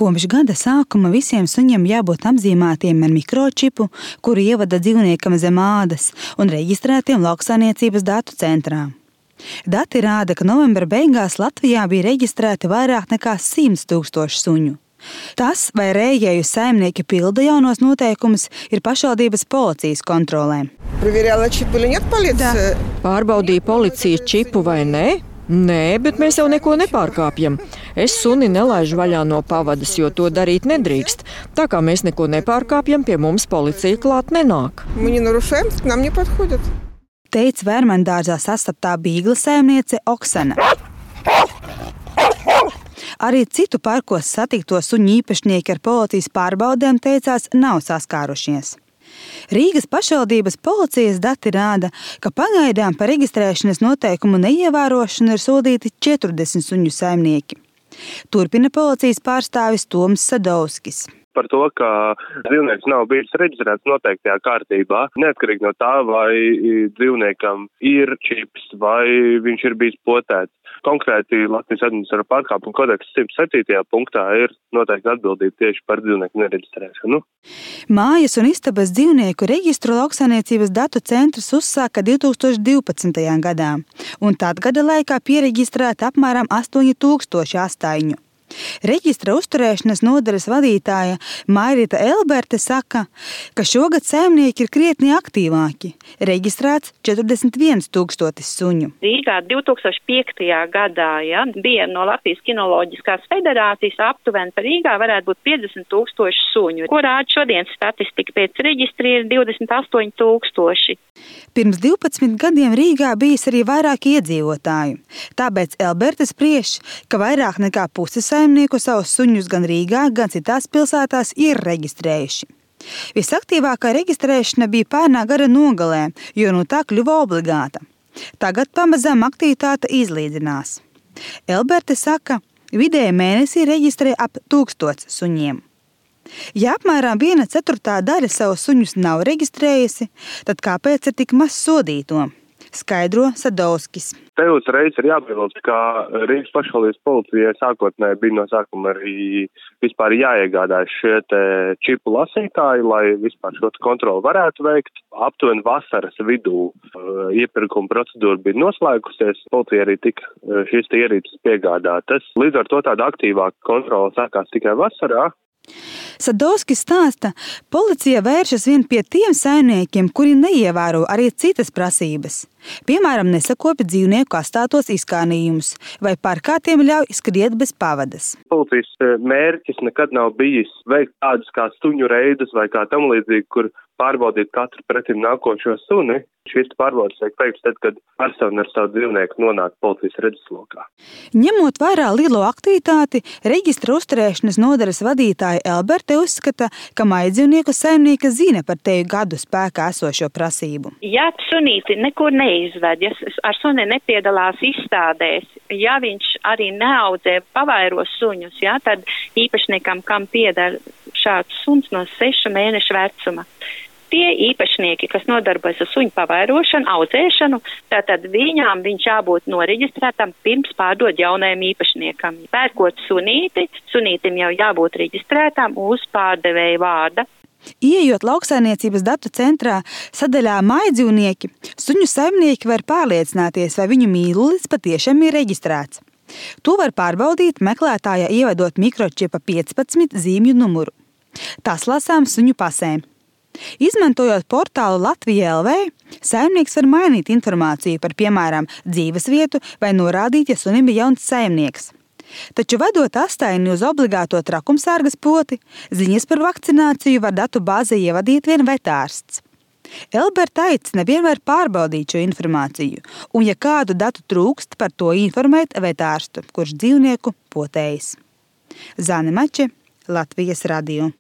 Kopš gada sākuma visiem suņiem jābūt apzīmētiem ar mikročipu, kuru ievada dzīvniekam zem ādas un reģistrētiem lauksaimniecības datu centrā. Dati rāda, ka novembra beigās Latvijā bija reģistrēti vairāk nekā 100 000 suņu. Tas, vai rējēju saimnieki pilda jaunos noteikumus, ir pašvaldības policijas kontrolē. Pārbaudīja policija čipu vai nē? Nē, bet mēs jau neko nepārkāpjam. Es suni nelaižu vaļā no pavadas, jo to darīt nedrīkst. Tā kā mēs neko nepārkāpjam, pie mums policija klāt nenāk. Teica Vērmendārzā sastaptā bīgla saimniece Oksana. Arī citu parkos satikto suņu īpašnieki ar policijas pārbaudēm teicās nav saskārušies. Rīgas pašvaldības policijas dati rāda, ka pagaidām par reģistrēšanas noteikumu neievērošanu ir sodīti 40 suņu saimnieki. Turpina policijas pārstāvis Toms Sadovskis. Par to, ka dzīvnieks nav bijis reģistrēts noteiktajā kārtībā, neatkarīgi no tā, vai dzīvniekam ir čips, vai viņš ir bijis potēts. Konkrēti Latvijas administratīvā pārkāpuma kodeksa 107. punktā ir noteikti atbildība tieši par dzīvnieku nereģistrēšanu. Mājas un istabas dzīvnieku reģistru lauksaimniecības datu centrs uzsāka 2012. gadā, un tad gada laikā piereģistrēta apmēram 8000 astaiņu. Reģistra uzturēšanas nodaļas vadītāja Mairita Elberte saka, ka šogad saimnieki ir krietni aktīvāki. Reģistrēts 41 000 suņu. Rīgā 2005. gadā bija no Latvijas kinoloģiskās federācijas aptuveni par Rīgā varētu būt 50 000 suņu, ko rāda šodienas statistika pēc reģistra ir 28 000. Pirms 12 gadiem Rīgā bijis arī vairāk iedzīvotāju. Tāpēc Elberte spriež, ka vairāk nekā pusi saimnieku savus suņus gan Rīgā, gan citās pilsētās ir reģistrējuši. Visaktīvākā reģistrēšana bija pērnā gada nogalē, jo no tā kļuva obligāta. Tagad pamazām aktivitāte izlīdzinās. Elberte saka, vidēji mēnesī reģistrē ap 1000 suņiem. Ja apmēram 1/4 daļa savus suņus nav reģistrējusi, tad kāpēc ir tik maz sodīto? Skaidro Sadovskis. Te uzreiz ir jāpiebilst, ka Rīgas pašvaldības policijai sākotnēji bija no sākuma arī vispār jāiegādājas šie čipu lasītāji, lai vispār šo kontroli varētu veikt. Aptuveni vasaras vidū iepirkuma procedūra bija noslēgusies, policija arī tika šīs ierīces piegādātas. Līdz ar to tāda aktīvāka kontrola sākās tikai vasarā. Sadovskis stāsta, policija vēršas vien pie tiem saimniekiem, kuri neievēro arī citas prasības. Piemēram, nesakopja dzīvnieku kastātos izkārnījumus vai parkā tiem ļauj skriet bez pavadas. Policijas mērķis nekad nav bijis veikt tādus kā suņu reidus vai kā tam līdzīgi, kur pārbaudīt katru pretim nākošo suni. Šīs pārbaudes tiek veikts tad, kad persona ar savu dzīvnieku nonāk policijas redzeslokā. Ņemot vērā lielo aktivitāti, reģistra uzturēšanas nodaļas vadītāja Elberte uzskata, ka maidzīvnieku saimnieki zina par teju gadu spēkā esošo prasību. Ja sunīti nekur neizved, ja ar suni nepiedalās izstādēs, ja viņš arī neaudzē pavairos suņus, tad īpašniekam, kam pieder šāds suns no 6 mēnešu vecuma. Tie īpašnieki, kas nodarbojas ar suņu pavairošanu, audzēšanu, tātad viņām viņš jābūt noreģistrētam pirms pārdot jaunajam īpašniekam. Pērkot sunīti, sunītim jau jābūt reģistrētam uz pārdevēja vārda. Ieejot lauksaimniecības datu centrā sadaļā mājdzīvnieki, suņu saimnieki var pārliecināties, vai viņu mīlulis patiešām ir reģistrēts. To var pārbaudīt meklētājā ievedot mikročipa 15 zīmju numuru. Tas lasām suņu pasēm. Izmantojot portālu Latvija LV, saimnieks var mainīt informāciju par, piemēram, dzīvesvietu vai norādīt, ja sunim ir jauns saimnieks. Taču vedot astaini uz obligāto trakumsargas poti, ziņas par vakcināciju var datu bāzē ievadīt vien vetārsts. Elberta aicina vienmēr pārbaudīt šo informāciju, un ja kādu datu trūkst, par to informēt vetārstu, kurš dzīvnieku potējis. Zane Mače, Latvijas radio.